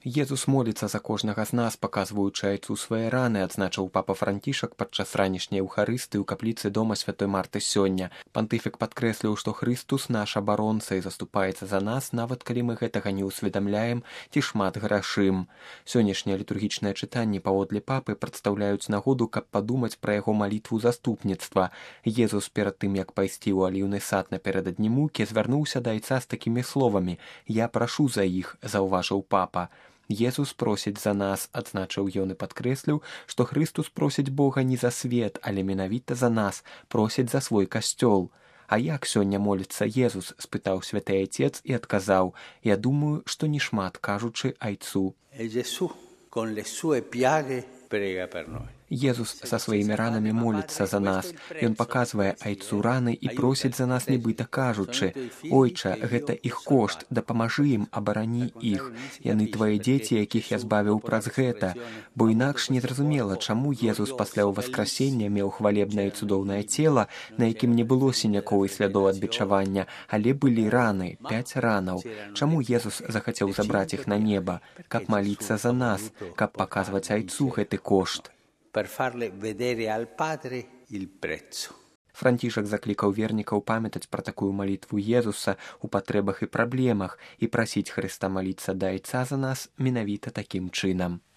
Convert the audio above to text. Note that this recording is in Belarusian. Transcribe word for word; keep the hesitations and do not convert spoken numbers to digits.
Езус моліцца за кожнага з нас, паказваючы айцу свае раны, адзначыў папа Францішак падчас ранішняй эўхарысты ў капліцы дома святой Марты сёння. Пантыфік падкрэсліў, што Хрыстус наш абаронца і заступаецца за нас, нават калі мы гэтага не ўсведамляем ці шмат грашым. Сённяшнія літургічныя чытанні паводле папы прадстаўляюць нагоду, каб падумаць пра яго малітву заступніцтва. Езус перад тым, як пайсці ў аліўны сад напярэдадні мукі, звярнуўся да айца з такімі словамі: «Я прашу за іх», заўважыў папа. Езус просіць за нас, адзначыў ён і падкрэсліў, што Хрыстус просіць Бога не за свет, але менавіта за нас, просіць за свой касцёл. «А як сёння моліцца Езус?» – спытаў святы айцец і адказаў: «Я думаю, што не шмат, кажучы айцу». Езус са сваімі ранамі моліцца за нас. Ён паказвае айцу раны і просіць за нас, нібыта кажучы: «Ойча, гэта іх кошт, дапамажы ім, абарані іх. Яны твае дзеці, якіх я збавіў праз гэта». Бо інакш незразумела, чаму Езус пасля ўваскрасення меў хвалебнае і цудоўнае цела, на якім не было сінякоў і слядоў ад бичавання, але былі раны, пяць ранаў. Чаму Езус захацеў забраць іх на неба? Каб маліцца за нас, каб паказваць айцу гэты кошт. Францішак заклікаў вернікаў памятаць пра такую малітву Езуса ў патрэбах і праблемах і прасіць Хрыста маліцца да айца за нас менавіта такім чынам.